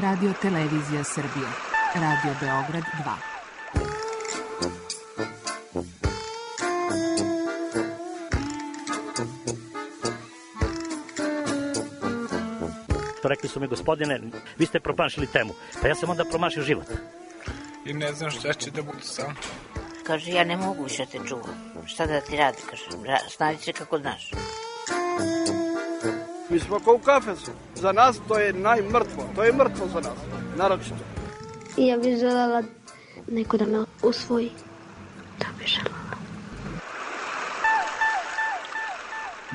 Radio Televizija Srbije. Radio Beograd 2. Rekli su mi, gospodine, vi ste promašili temu. Pa ja sam onda promašio život. I ne znam šta će da budu sam. Kaže, ja ne mogu više te čuvam. Šta da ti radi, kaže, snađi se kako znaš. Mi smo kao u kafesu. Za nas to je najmrtvo. To je mrtvo za nas, naročito. I ja bih želela neko da me usvoji. Da bih želela.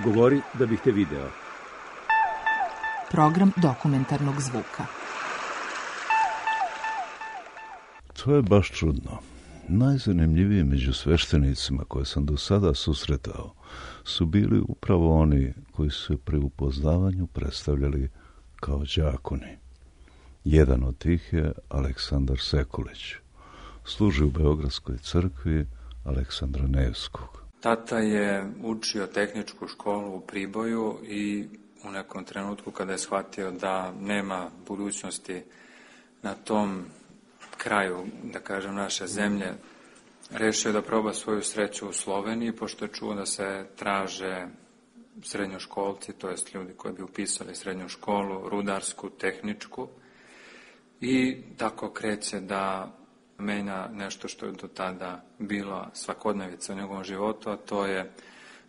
Govori da bih te video. Program dokumentarnog zvuka. To je baš čudno. Najzanimljiviji među sveštenicima koje sam do sada susretao su bili upravo oni koji su se pri upoznavanju predstavljali kao đakoni. Jedan od tih je Aleksandar Sekulić. Služi u Beogradskoj crkvi Aleksandra Nevskog. Tata je učio tehničku školu u Priboju i u nekom trenutku kada je shvatio da nema budućnosti na tom kraju, da kažem, naše zemlje, rešio da proba svoju sreću u Sloveniji, pošto je čuo da se traže srednjoškolci, to jest ljudi koji bi upisali srednju školu, rudarsku, tehničku, i tako kreće da menja nešto što je do tada bila svakodnevica u njegovom životu, a to je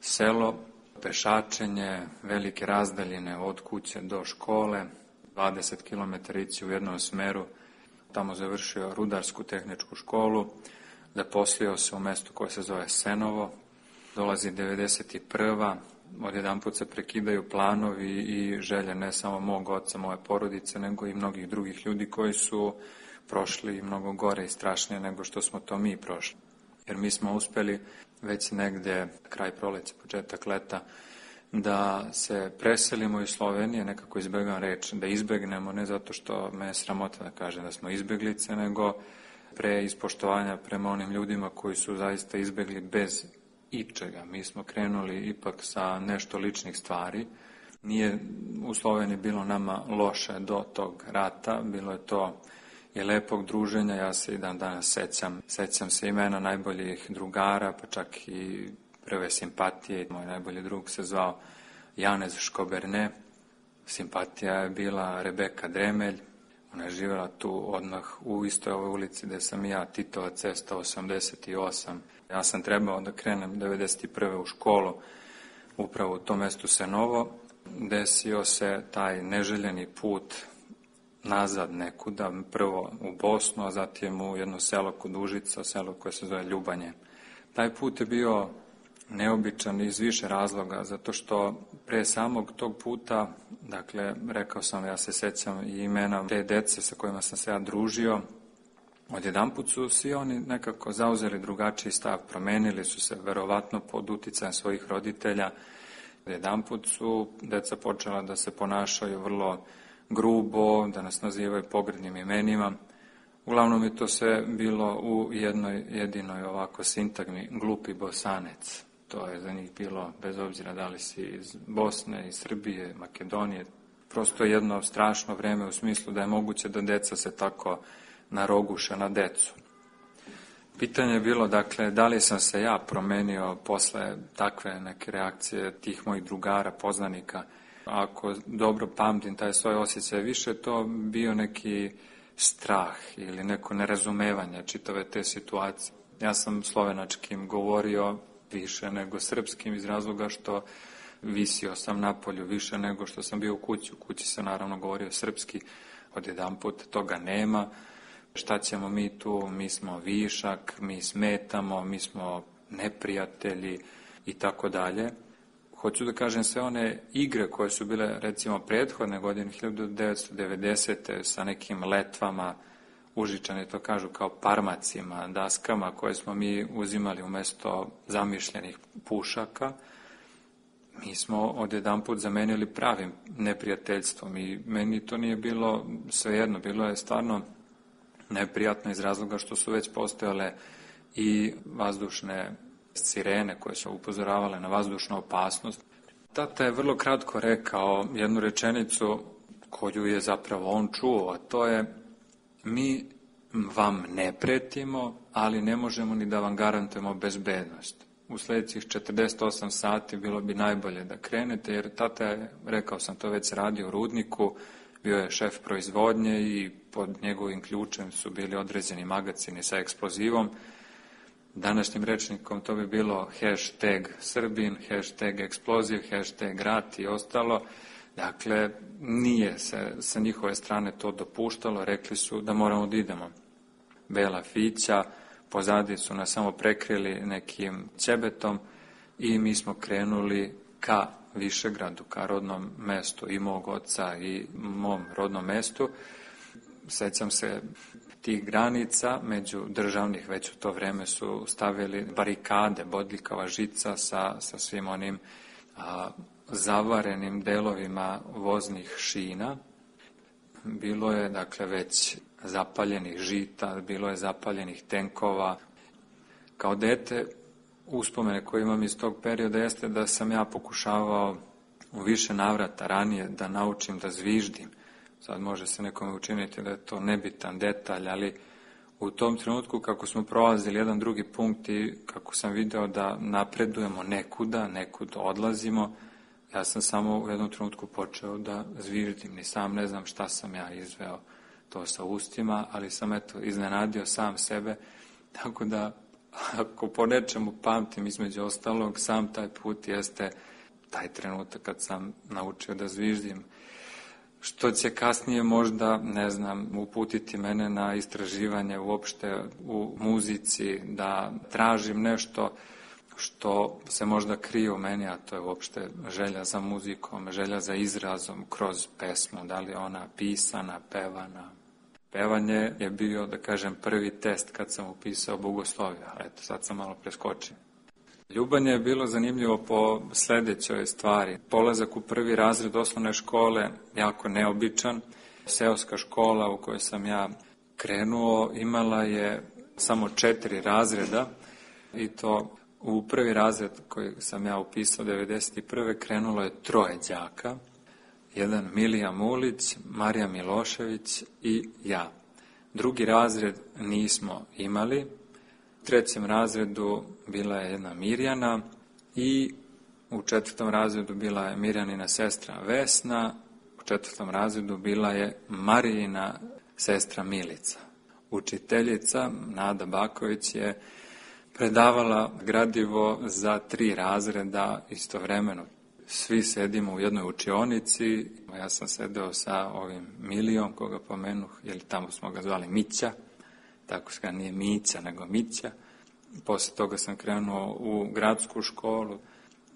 selo, pešačenje, velike razdaljine od kuće do škole, 20 km ići u jednom smeru. Tamo završio rudarsku tehničku školu, zaposlio se u mestu koje se zove Senovo, dolazi 91. Odjedanput se prekidaju planovi i želje ne samo mog oca, moje porodice, nego i mnogih drugih ljudi koji su prošli mnogo gore i strašnije nego što smo to mi prošli. Jer mi smo uspeli već negde, kraj proleća, početak leta, da se preselimo iz Slovenije, nekako izbegam reč, da izbegnemo, ne zato što me je sramota da kažem da smo izbeglice, nego pre ispoštovanja prema onim ljudima koji su zaista izbegli bez ičega. Mi smo krenuli ipak sa nešto ličnih stvari. Nije u Sloveniji bilo nama loše do tog rata, bilo je to i lepog druženja, ja se i dan danas sećam se imena najboljih drugara, pa čak i prve simpatije. Moj najbolji drug se zvao Janez Škoberne, simpatija je bila Rebeka Dremelj, ona je živjela tu odmah u istoj ovoj ulici gde sam ja, Titova cesta 88. Ja sam trebao da krenem 91. u školu, upravo u tom mestu Senovo. Desio se taj neželjeni put nazad nekuda, prvo u Bosnu, a zatim u jedno selo kod Užica, selo koje se zove Ljubanje. Taj put je bio neobičan iz više razloga, zato što pre samog tog puta, dakle, rekao sam, ja se sećam i imena te dece sa kojima sam se ja družio, odjedanput su svi oni nekako zauzeli drugačiji stav, promenili su se verovatno pod uticajem svojih roditelja. Odjedanput su deca počela da se ponašaju vrlo grubo, da nas nazivaju pogrdnim imenima. Uglavnom je to sve bilo u jednoj jedinoj ovako sintagmi, glupi Bosanec. To je za njih bilo, bez obzira da li si iz Bosne, iz Srbije, Makedonije, prosto jedno strašno vreme u smislu da je moguće da deca se tako naroguše na decu. Pitanje je bilo, dakle, da li sam se ja promenio posle takve neke reakcije tih mojih drugara, poznanika. Ako dobro pamtim taj svoj osjećaj, više to bio neki strah ili neko nerazumevanje čitave te situacije. Ja sam slovenačkim govorio više nego srpskim iz razloga što visio sam napolju više nego što sam bio u kući. U kući se naravno govorio srpski, odjedanput toga nema. Šta ćemo mi tu? Mi smo višak, mi smetamo, mi smo neprijatelji i tako dalje. Hoću da kažem, sve one igre koje su bile, recimo, prethodne godine, 1990. sa nekim letvama, Užičani to kažu kao parmacima, daskama koje smo mi uzimali umesto zamišljenih pušaka, mi smo odjedanput zamenili pravim neprijateljstvom i meni to nije bilo svejedno, bilo je stvarno neprijatno iz razloga što su već postojale i vazdušne sirene koje su upozoravale na vazdušnu opasnost. Tata je vrlo kratko rekao jednu rečenicu, koju je zapravo on čuo, a to je: mi vam ne pretimo, ali ne možemo ni da vam garantujemo bezbednost. U sljedećih 48 sati bilo bi najbolje da krenete, jer tata je, rekao sam to, već radio u rudniku, bio je šef proizvodnje i pod njegovim ključem su bili određeni magacini sa eksplozivom. Današnjim rečnikom to bi bilo #Srbin, #eksploziv, #rat i ostalo. Dakle, nije se sa njihove strane to dopuštalo, rekli su da moramo da idemo. Bela fića, pozadi su nas samo prekrili nekim ćebetom i mi smo krenuli ka Višegradu, ka rodnom mestu i mog oca i mom rodnom mestu. Sećam se tih granica među državnih, već u to vreme su stavili barikade, bodljikava žica sa svim onim zavarenim delovima voznih šina. Bilo je, dakle, već zapaljenih žita, bilo je zapaljenih tenkova. Kao dete, uspomene koje imam iz tog perioda jeste da sam ja pokušavao u više navrata ranije da naučim da zviždim. Sad može se nekome učiniti da je to nebitan detalj, ali u tom trenutku kako smo prolazili jedan drugi punkt i kako sam video da napredujemo nekud odlazimo, ja sam samo u jednom trenutku počeo da zviždim. Ni sam ne znam šta sam ja izveo to sa ustima, ali sam iznenadio sam sebe, tako da ako po nečemu pamtim između ostalog, sam taj put jeste taj trenutak kad sam naučio da zviždim. Što će kasnije možda, ne znam, uputiti mene na istraživanje uopšte u muzici, da tražim nešto što se možda krije u meni, a to je uopšte želja za muzikom, želja za izrazom kroz pesmu, da li ona pisana, pevana. Pevanje je bio, da kažem, prvi test kad sam upisao bogoslovje, ali eto, sad sam malo preskočio. Ljubanje je bilo zanimljivo po sledećoj stvari. Polazak u prvi razred osnovne škole, jako neobičan. Seoska škola u kojoj sam ja krenuo imala je samo 4 razreda i to u prvi razred koji sam ja upisao 1991. krenulo je 3 đaka. Jedan Milija Mulić, Marija Milošević i ja. Drugi razred nismo imali. U 3. razredu bila je jedna Mirjana i u 4. razredu bila je Mirjanina sestra Vesna. U 4. razredu bila je Marijina sestra Milica. Učiteljica Nada Baković je predavala gradivo za 3 razreda istovremeno. Svi sedimo u jednoj učionici, ja sam sedeo sa ovim Milijom, koga pomenuh, jer tamo smo ga zvali Mića, tako se ga nije Mića, nego Mića. Posle toga sam krenuo u gradsku školu.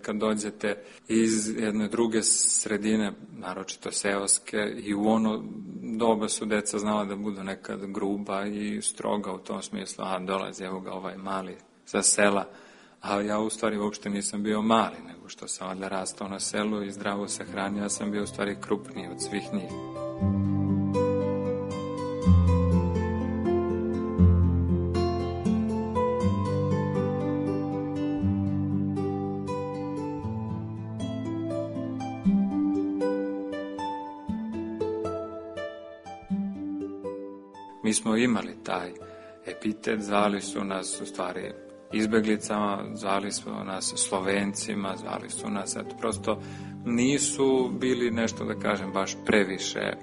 Kad dođete iz jedne druge sredine, naročito seoske, i u ono doba su deca znala da budu nekad gruba i stroga u tom smislu, dolazi evo ga ovaj mali sa sela, a ja u stvari uopšte nisam bio mali, nego što sam valjda rastao na selu i zdravo se hranio, ja sam bio u stvari krupniji od svih njih. Mi smo imali taj epitet, zvali su nas u stvari izbeglicama, zvali su nas Slovencima, zvali su nas, eto, prosto nisu bili nešto, da kažem, baš previše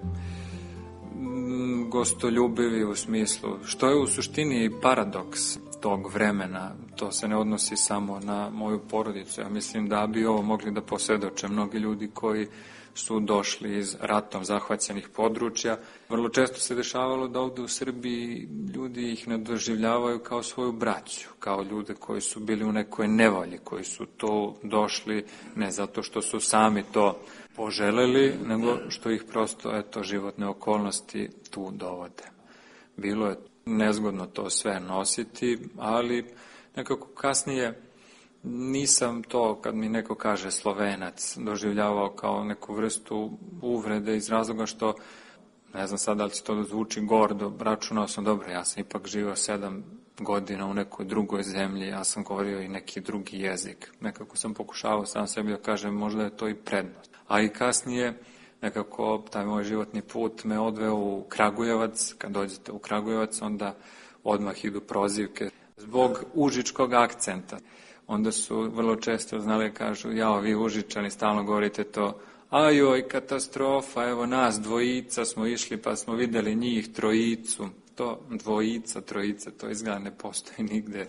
gostoljubivi u smislu, što je u suštini paradoks tog vremena. To se ne odnosi samo na moju porodicu. Ja mislim da bi ovo mogli da posvedoče mnogi ljudi koji su došli iz ratom zahvaćenih područja. Vrlo često se dešavalo da ovde u Srbiji ljudi ih ne doživljavaju kao svoju braću, kao ljude koji su bili u nekoj nevolji, koji su to došli ne zato što su sami to poželeli, nego što ih prosto, eto, životne okolnosti tu dovode. Bilo je nezgodno to sve nositi, ali nekako kasnije nisam to, kad mi neko kaže Slovenac, doživljavao kao neku vrstu uvrede iz razloga što, ne znam sad da li će to da zvuči gordo, računao sam, dobro, ja sam ipak živio 7 godina u nekoj drugoj zemlji, ja sam govorio i neki drugi jezik. Nekako sam pokušavao sam sebi da kažem, možda je to i prednost. A i kasnije, nekako taj moj životni put me odveo u Kragujevac. Kad dođete u Kragujevac, onda odmah idu prozivke zbog užičkog akcenta. Onda su vrlo često znali, kažu, jao, vi Užičani stalno govorite to, ajoj, katastrofa, evo nas dvojica smo išli pa smo videli njih trojicu. To dvojica, trojica, to izgleda ne postoji nigde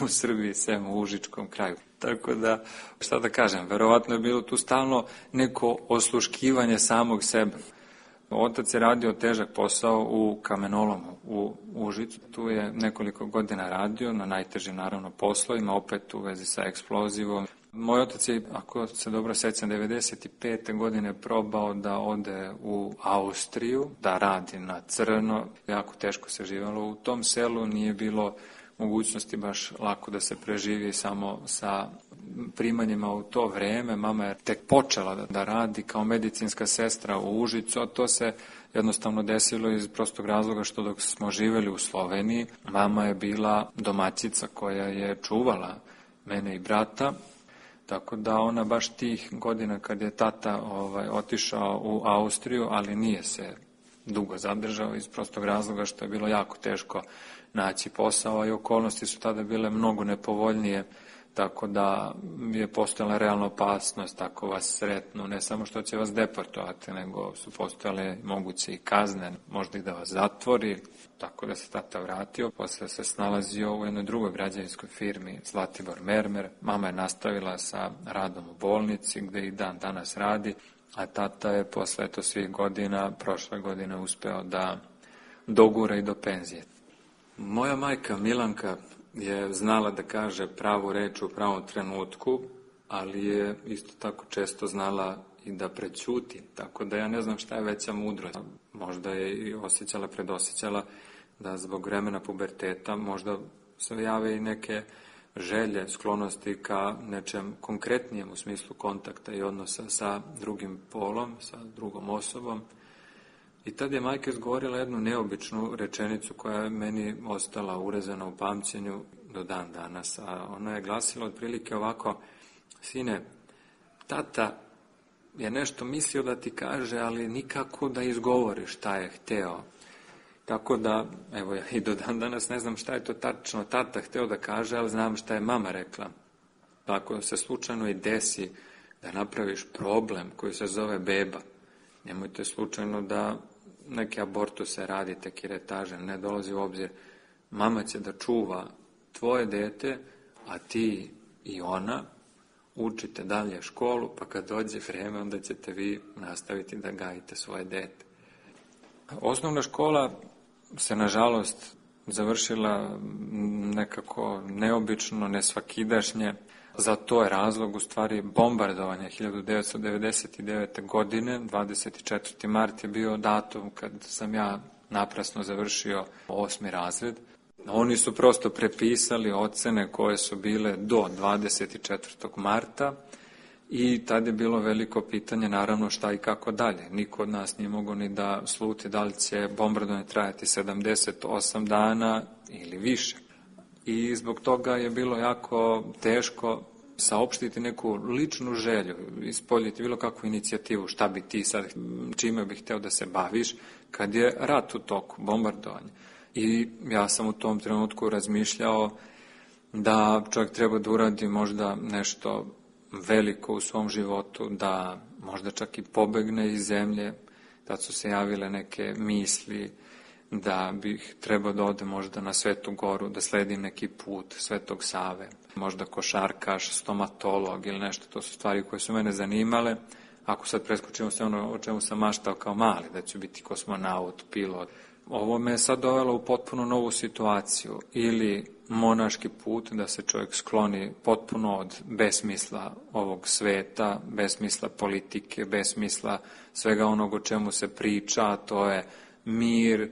u Srbiji, sem u Užičkom kraju. Tako da, šta da kažem, verovatno je bilo tu stalno neko osluškivanje samog sebe. Otac je radio težak posao u kamenolomu u Užicu. Tu je nekoliko godina radio na najtežim, naravno, poslovima, opet u vezi sa eksplozivom. Moj otac je, ako se dobro sećam, 95. godine probao da ode u Austriju, da radi na crno. Jako teško se živalo u tom selu, nije bilo mogućnosti baš lako da se preživi samo sa primanjima u to vreme. Mama je tek počela da radi kao medicinska sestra u Užicu, a to se jednostavno desilo iz prostog razloga što dok smo živeli u Sloveniji, mama je bila domaćica koja je čuvala mene i brata, tako da ona baš tih godina kad je tata otišao u Austriju, ali nije se dugo zadržao iz prostog razloga što je bilo jako teško naći posao i okolnosti su tada bile mnogo nepovoljnije, tako da je postojala realna opasnost ako vas sretnu, ne samo što će vas deportovati, nego su postojale moguće i kazne, možda i da vas zatvori, tako da se tata vratio, posle se snalazio u jednoj drugoj građevinskoj firmi Zlatibor Mermer, mama je nastavila sa radom u bolnici gde i dan danas radi, a tata je posle svih godina, prošle godine uspeo da dogura i do penzije. Moja majka Milanka je znala da kaže pravu reč u pravom trenutku, ali je isto tako često znala i da prećuti, tako da ja ne znam šta je veća mudrost. Možda je i predosjećala da zbog vremena puberteta možda se jave i neke želje, sklonosti ka nečem konkretnijem u smislu kontakta i odnosa sa drugim polom, sa drugom osobom. I tad je majka izgovorila jednu neobičnu rečenicu koja je meni ostala urezana u pamćenju do dan danas. A ona je glasila otprilike ovako: sine, tata je nešto mislio da ti kaže, ali nikako da izgovori šta je hteo. Tako da, evo ja i do dan danas ne znam šta je to tačno tata hteo da kaže, ali znam šta je mama rekla. Ako se slučajno i desi da napraviš problem koji se zove beba, nemojte slučajno da neke abortuse radite, kiretaže, ne dolazi u obzir. Mama će da čuva tvoje dete, a ti i ona učite dalje školu, pa kad dođe vreme, onda ćete vi nastaviti da gajite svoje dete. Osnovna škola se, nažalost, završila nekako neobično, nesvakidašnje. Za to je razlog, u stvari, bombardovanja 1999. godine. 24. mart je bio datum kad sam ja naprasno završio 8. razred. Oni su prosto prepisali ocene koje su bile do 24. marta i tad je bilo veliko pitanje, naravno, šta i kako dalje. Niko od nas nije mogao ni da sluti da li će bombardovanje trajati 78 dana ili više. I zbog toga je bilo jako teško saopštiti neku ličnu želju, ispoljiti bilo kakvu inicijativu, šta bi ti sad, čime bih hteo da se baviš, kad je rat u toku, bombardovanje. I ja sam u tom trenutku razmišljao da čovjek treba da uradi možda nešto veliko u svom životu, da možda čak i pobegne iz zemlje. Tad su se javile neke misli da bih trebao da ode možda na Svetu Goru, da sledim neki put Svetog Save, možda košarkaš, stomatolog ili nešto. To su stvari koje su mene zanimale. Ako sad preskočimo sve ono o čemu sam maštao kao mali, da ću biti kosmonaut, pilot. Ovo me je sad dovelo u potpuno novu situaciju. Ili monaški put, da se čovjek skloni potpuno od besmisla ovog sveta, besmisla politike, besmisla svega onog o čemu se priča, a to je mir,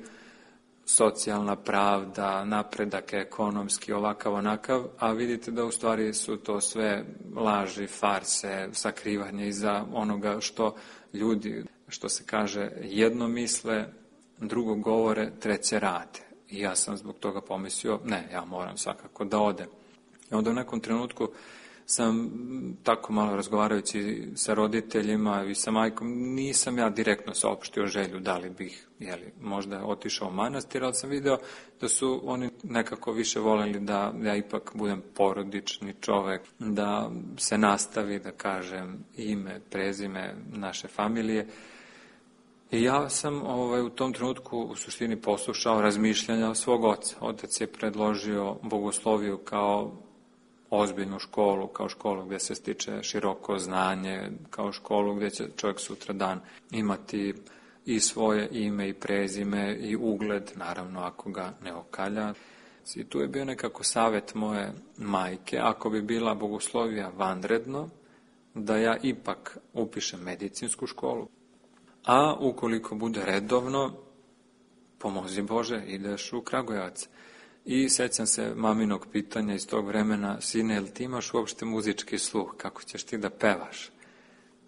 socijalna pravda, napredak ekonomski, ovakav, onakav, a vidite da u stvari su to sve laži, farse, sakrivanje iza onoga što ljudi, što se kaže, jedno misle, drugo govore, treće rade. I ja sam zbog toga pomislio, ne, ja moram svakako da odem. I onda u nekom trenutku sam tako malo razgovarajući sa roditeljima i sa majkom, nisam ja direktno saopštio želju da li bih možda otišao u manastir, ali sam video da su oni nekako više voljeli da ja ipak budem porodični čovek, da se nastavi, da kažem, ime, prezime naše familije. I ja sam u tom trenutku u suštini poslušao razmišljanja svog oca. Otac je predložio bogosloviju kao ozbiljnu školu, kao školu gdje se stiče široko znanje, kao školu gdje će čovjek sutradan imati i svoje ime i prezime i ugled, naravno ako ga ne okalja. I tu je bio nekako savjet moje majke, ako bi bila bogoslovija vanredno, da ja ipak upišem medicinsku školu, a ukoliko bude redovno, pomozi Bože, ideš u Kragujevac. I sećam se maminog pitanja iz tog vremena, sine, jel ti imaš uopšte muzički sluh, kako ćeš ti da pevaš?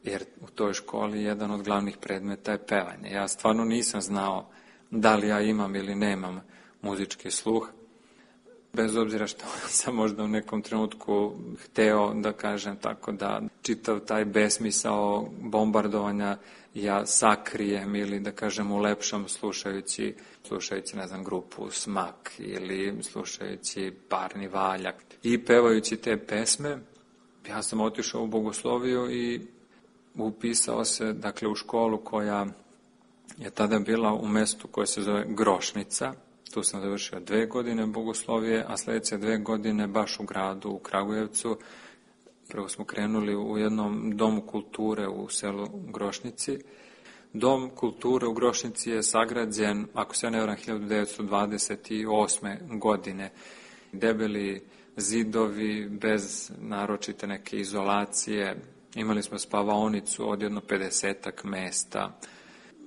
Jer u toj školi jedan od glavnih predmeta je pevanje. Ja stvarno nisam znao da li ja imam ili nemam muzički sluh, bez obzira što sam možda u nekom trenutku hteo da kažem tako da čitav taj besmisao bombardovanja ja sakrijem ili da kažem ulepšam slušajući ne znam, grupu Smak ili slušajući Parni valjak i pevajući te pesme. Ja sam otišao u bogosloviju i upisao se dakle u školu koja je tada bila u mestu koje se zove Grošnica. Tu sam završio 2 godine bogoslovije, a sljedeće 2 godine baš u gradu, u Kragujevcu. Prvo smo krenuli u jednom domu kulture u selu Grošnici. Dom kulture u Grošnici je sagrađen, ako se ne varam, 1928. godine. Debeli zidovi, bez naročite neke izolacije. Imali smo spavaonicu od jedno 50-ak mesta.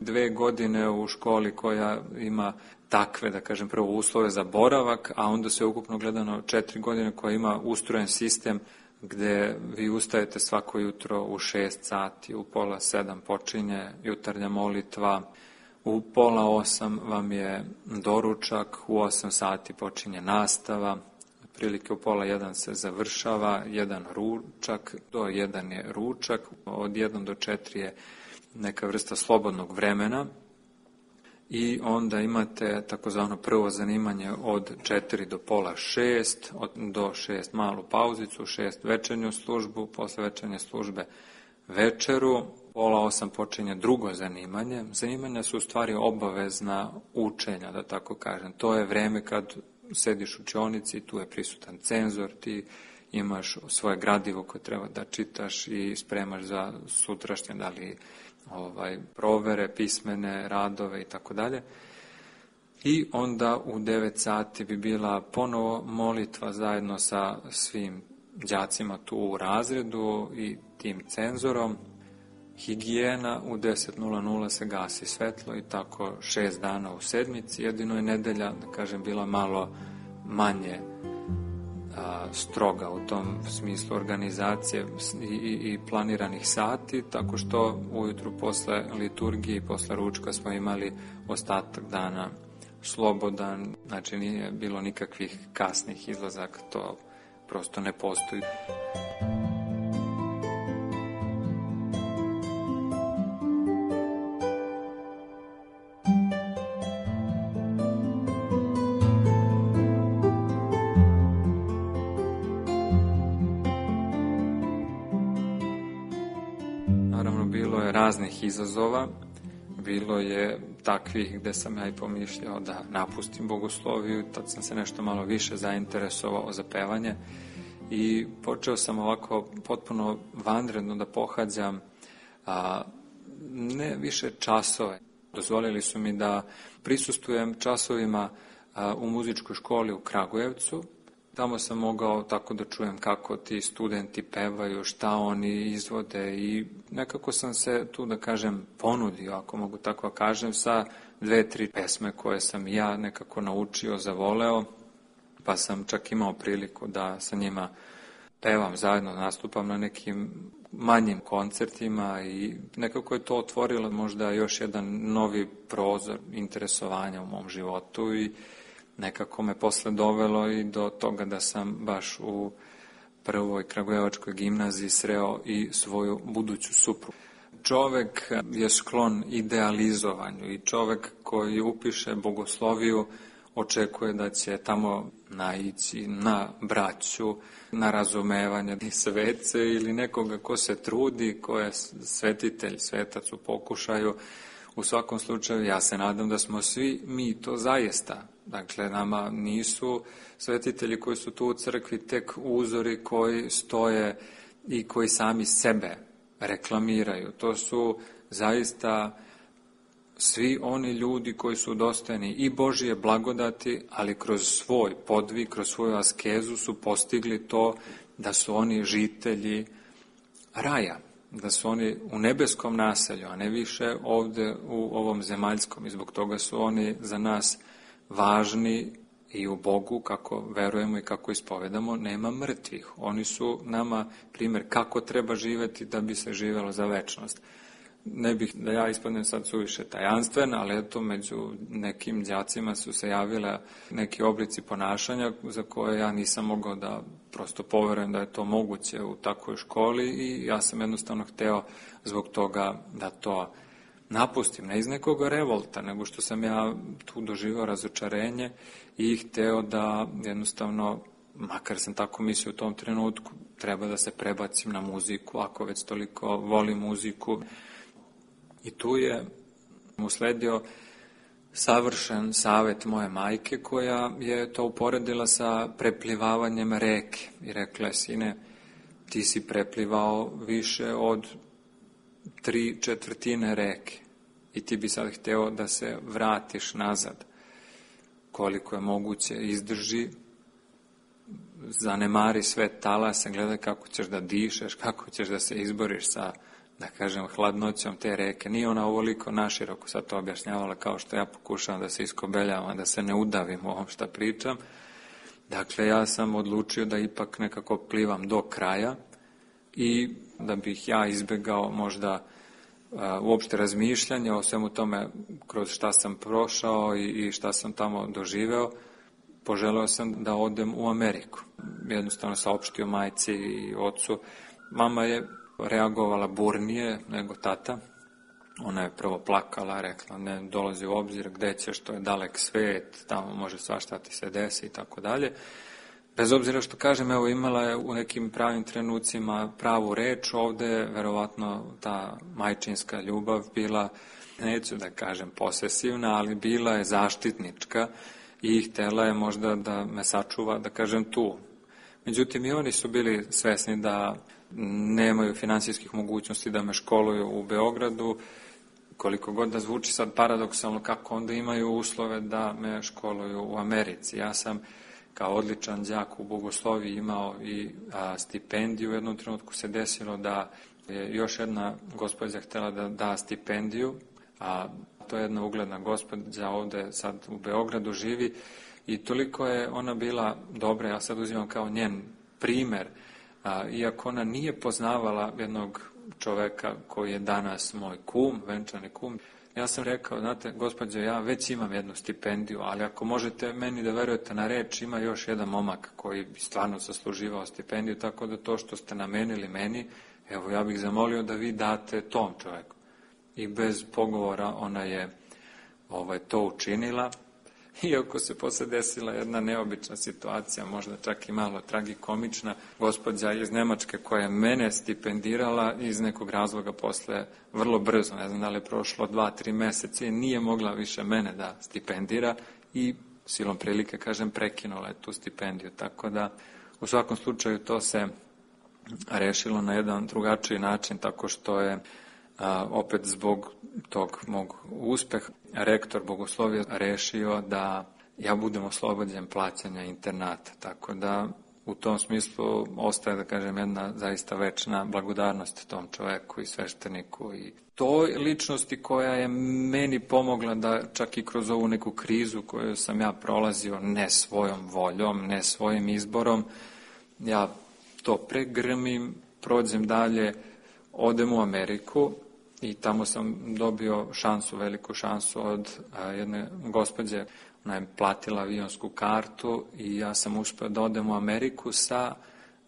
2 godine u školi koja ima takve, da kažem, prvo uslove za boravak, a onda sve ukupno gledano 4 godine koja ima ustrojen sistem gde vi ustajete svako jutro u 6 sati, u 6:30 počinje jutarnja molitva, u 7:30 vam je doručak, u 8 sati počinje nastava, otprilike u 12:30 se završava, 1 ručak, do 1 je ručak, od 1 do 4 je neka vrsta slobodnog vremena i onda imate takozvano prvo zanimanje od 4 do 5:30, do 6 malu pauzicu, 6 večernju službu, posle večernje službe večeru, 7:30 počinje drugo zanimanje. Zanimanja su u stvari obavezna učenja, da tako kažem. To je vreme kad sediš u učionici, tu je prisutan cenzor, ti imaš svoje gradivo koje treba da čitaš i spremaš za sutrašnje, da li provere, pismene, radove i tako dalje. I onda u 9 sati bi bila ponovo molitva zajedno sa svim đacima tu u razredu i tim cenzorom. Higijena, u 10:00 se gasi svetlo i tako 6 dana u sedmici. Jedino je nedelja, da kažem, bila malo manje stroga u tom smislu organizacije i planiranih sati, tako što ujutru posle liturgije i posle ručka smo imali ostatak dana slobodan, znači nije bilo nikakvih kasnih izlazaka, to prosto ne postoji. Raznih izazova, bilo je takvih gde sam ja i pomišljao da napustim bogosloviju, tad sam se nešto malo više zainteresovao za pevanje i počeo sam ovako potpuno vanredno da pohađam ne više časove. Dozvolili su mi da prisustvujem časovima u muzičkoj školi u Kragujevcu. Tamo sam mogao tako da čujem kako ti studenti pevaju, šta oni izvode i nekako sam se tu, da kažem, ponudio, ako mogu tako da kažem, sa 2-3 pesme koje sam ja nekako naučio, zavoleo, pa sam čak imao priliku da sa njima pevam zajedno, nastupam na nekim manjim koncertima i nekako je to otvorilo možda još jedan novi prozor interesovanja u mom životu i nekako me posle dovelo i do toga da sam baš u prvoj kragujevačkoj gimnaziji sreo i svoju buduću suprugu. Čovek je sklon idealizovanju i čovek koji upiše bogosloviju očekuje da će tamo naići na braću, na razumevanje svece ili nekoga ko se trudi, ko je svetitelj, svetac u pokušaju. U svakom slučaju, ja se nadam da smo svi mi to zaista. Dakle, nama nisu svetitelji koji su tu u crkvi tek uzori koji stoje i koji sami sebe reklamiraju. To su zaista svi oni ljudi koji su dostojni i Božije blagodati, ali kroz svoj podvig, kroz svoju askezu su postigli to da su oni žitelji raja, da su oni u nebeskom naselju, a ne više ovde u ovom zemaljskom. I zbog toga su oni za nas važni i u Bogu, kako verujemo i kako ispovedamo, nema mrtvih. Oni su nama primjer kako treba živeti da bi se živelo za večnost. Ne bih da ja ispadnem sad suviše tajanstven, ali eto, među nekim đacima su se javile neki oblici ponašanja za koje ja nisam mogao da prosto poverujem da je to moguće u takvoj školi i ja sam jednostavno hteo zbog toga da to napustim, ne iz nekog revolta, nego što sam ja tu doživao razočarenje i hteo da jednostavno, makar sam tako mislio u tom trenutku, treba da se prebacim na muziku, ako već toliko volim muziku. I tu je usledio savršen savet moje majke koja je to uporedila sa preplivavanjem reke i rekla je: sine, ti si preplivao više od 3/4 reke i ti bi sad hteo da se vratiš nazad. Koliko je moguće, izdrži, zanemari sve talase, gledaj kako ćeš da dišeš, kako ćeš da se izboriš sa, da kažem, hladnoćom te reke. Nije ona ovoliko naširoko sad to objašnjavala kao što ja pokušavam da se iskobeljavam, da se ne udavim u ovom šta pričam. Dakle, ja sam odlučio da ipak nekako plivam do kraja i da bih ja izbegao možda uopšte razmišljanje o svemu tome kroz šta sam prošao i šta sam tamo doživeo. Poželeo sam da odem u Ameriku. Jednostavno saopštio majci i ocu. Mama je reagovala burnije nego tata. Ona je prvo plakala, rekla ne dolazi u obzir, gde ćeš, to je dalek svet, tamo može svašta ti se desi i tako dalje. Bez obzira što kažem, evo, imala je u nekim pravim trenucima pravu reč, ovde je verovatno ta majčinska ljubav bila, neću da kažem posesivna, ali bila je zaštitnička i htela je možda da me sačuva, da kažem, tu. Međutim, i oni su bili svesni da nemaju finansijskih mogućnosti da me školuju u Beogradu, koliko god da zvuči sad paradoksalno, kako onda imaju uslove da me školuju u Americi. Ja sam kao odličan đak u bogosloviji imao i stipendiju. U jednom trenutku se desilo da je još jedna gospođa htjela da da stipendiju, a to je jedna ugledna gospođa ovde sad u Beogradu živi i toliko je ona bila dobra, ja sad uzimam kao njen primer, iako ona nije poznavala jednog čoveka koji je danas moj kum, venčani kum. Ja sam rekao, znate, gospođo, ja već imam jednu stipendiju, ali ako možete meni da verujete na reč, ima još jedan momak koji bi stvarno zasluživao stipendiju, tako da to što ste namenili meni, evo, ja bih zamolio da vi date tom čoveku. I bez pogovora ona je to učinila, iako se posle desila jedna neobična situacija, možda čak i malo tragikomična. Gospođa iz Nemačke koja je mene stipendirala iz nekog razloga posle vrlo brzo, ne znam da li je prošlo 2-3 meseca, nije mogla više mene da stipendira i silom prilike, kažem, prekinula je tu stipendiju. Tako da, u svakom slučaju, to se rešilo na jedan drugačiji način, tako što je opet zbog tog mog uspeha rektor bogoslovija rešio da ja budem oslobođen plaćanja internata. Tako da u tom smislu ostaje, da kažem, jedna zaista večna blagodarnost tom čoveku i svešteniku i toj ličnosti koja je meni pomogla da čak i kroz ovu neku krizu koju sam ja prolazio ne svojom voljom, ne svojim izborom, ja to pregrmim, prođem dalje, odem u Ameriku i tamo sam dobio šansu, veliku šansu od jedne gospođe. Ona je platila avionsku kartu i ja sam uspeo da odem u Ameriku sa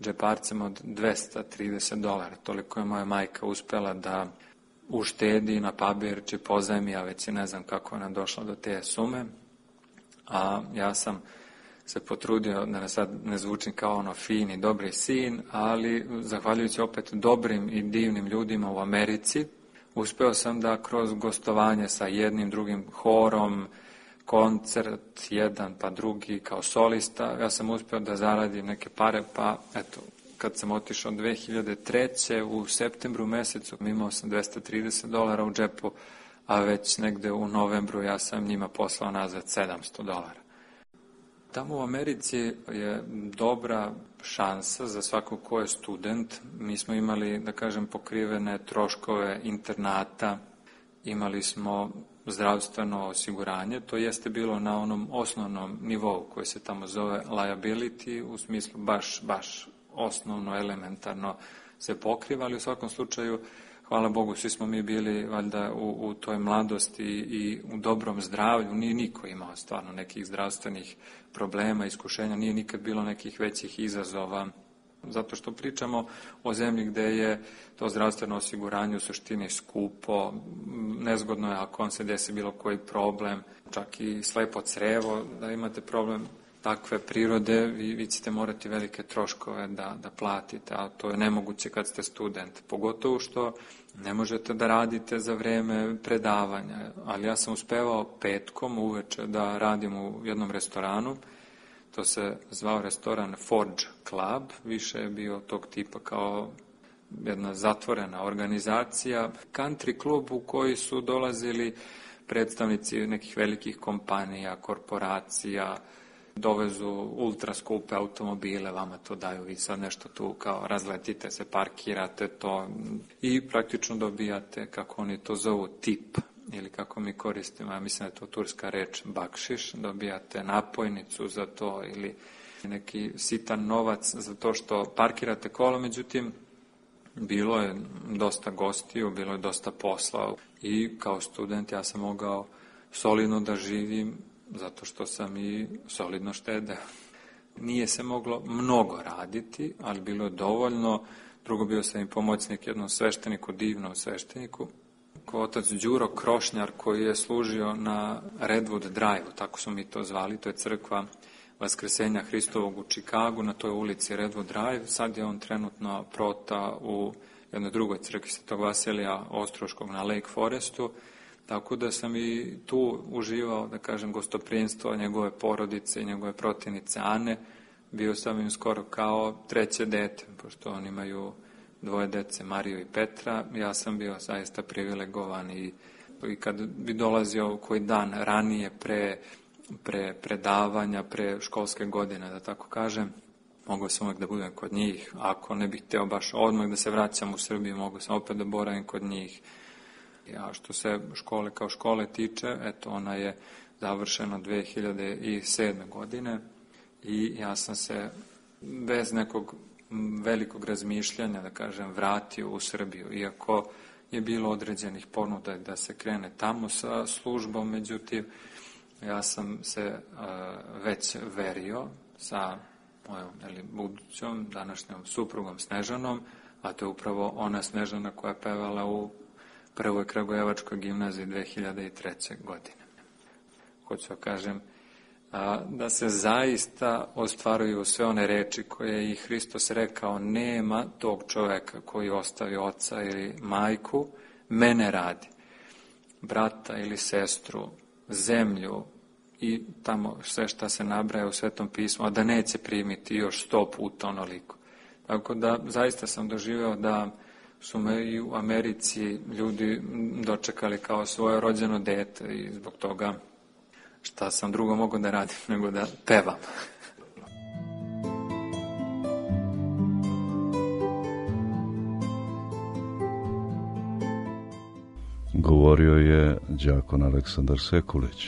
džeparcem od $230. Toliko je moja majka uspela da uštedi na papir, či pozajmi, a već ne znam kako ona došla do te sume. A ja sam se potrudio da sad ne zvučim kao ono fin i dobri sin, ali zahvaljujući opet dobrim i divnim ljudima u Americi, uspeo sam da kroz gostovanje sa jednim drugim horom, koncert jedan pa drugi kao solista, ja sam uspeo da zaradim neke pare, pa eto, kad sam otišao 2003. u septembru mesecu, imao sam $230 u džepu, a već negde u novembru ja sam njima poslao nazad $700. Tamo u Americi je dobra šansa za svakog ko je student. Mi smo imali, da kažem, pokrivene troškove internata, imali smo zdravstveno osiguranje, to jeste bilo na onom osnovnom nivou koji se tamo zove liability, u smislu baš osnovno, elementarno se pokriva, ali u svakom slučaju, hvala Bogu, svi smo mi bili valjda u toj mladosti i u dobrom zdravlju, nije niko imao stvarno nekih zdravstvenih problema, iskušenja, nije nikad bilo nekih većih izazova, zato što pričamo o zemlji gde je to zdravstveno osiguranje u suštini skupo, nezgodno je ako vam se desi bilo koji problem, čak i slepo crevo, da imate problem takve prirode, vi ćete morati velike troškove da platite, a to je nemoguće kad ste student, pogotovo što ne možete da radite za vreme predavanja, ali ja sam uspevao petkom uveče da radim u jednom restoranu, to se zvao restoran Forge Club, više je bio tog tipa kao jedna zatvorena organizacija, country klub u koji su dolazili predstavnici nekih velikih kompanija, korporacija, dovezu ultra skupe automobile, vama to daju, vi sad nešto tu kao razletite se, parkirate to i praktično dobijate, kako oni to zovu, tip, ili kako mi koristimo, ja mislim da je to turska reč bakšiš, dobijate napojnicu za to ili neki sitan novac za to što parkirate kolo, međutim, bilo je dosta gostiju, bilo je dosta posla i kao student ja sam mogao solidno da živim zato što sam i solidno štedeo. Nije se moglo mnogo raditi, ali bilo je dovoljno. Drugo, bio sam i pomoćnik jednom svešteniku, divnom svešteniku, otac Đuro Krošnjar, koji je služio na Redwood Drive, tako su mi to zvali, to je crkva Vaskrsenja Hristovog u Čikagu, na toj ulici Redwood Drive. Sad je on trenutno prota u jednoj drugoj crkvi Svetog Vasilija Ostroškog na Lake Forestu, tako da sam i tu uživao, da kažem, gostoprinstvo njegove porodice i njegove protivnice Ane. Bio sam im skoro kao treće dete, pošto oni imaju dvoje dece, Mariju i Petra. Ja sam bio zaista privilegovan i kad bi dolazio koji dan ranije pre predavanja, pre školske godine, da tako kažem, mogao sam uvijek da budem kod njih. Ako ne bih hteo baš odmah da se vraćam u Srbiju, mogao sam opet da boravim kod njih. A što se škole kao škole tiče, eto, ona je završena 2007. godine i ja sam se bez nekog velikog razmišljanja, da kažem, vratio u Srbiju, iako je bilo određenih ponuda da se krene tamo sa službom, međutim, ja sam se već verio sa mojom budućom današnjom suprugom Snežanom, a to je upravo ona Snežana koja je pevala u Prvoj Kragujevačkoj gimnaziji 2003. godine. Hoću da kažem da se zaista ostvaruju sve one reči koje je i Hristos rekao, nema tog čoveka koji ostavi oca ili majku, mene radi, brata ili sestru, zemlju i tamo sve šta se nabraja u Svetom pismu, a da neće primiti još 100 puta onoliko. Tako da zaista sam doživeo da su me i u Americi ljudi dočekali kao svoje rođeno dete i zbog toga šta sam drugo mogao da radim nego da pevam. Govorio je đakon Aleksandar Sekulić,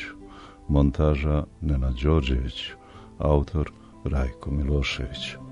montaža Nenad Đorđević, autor Rajko Milošević.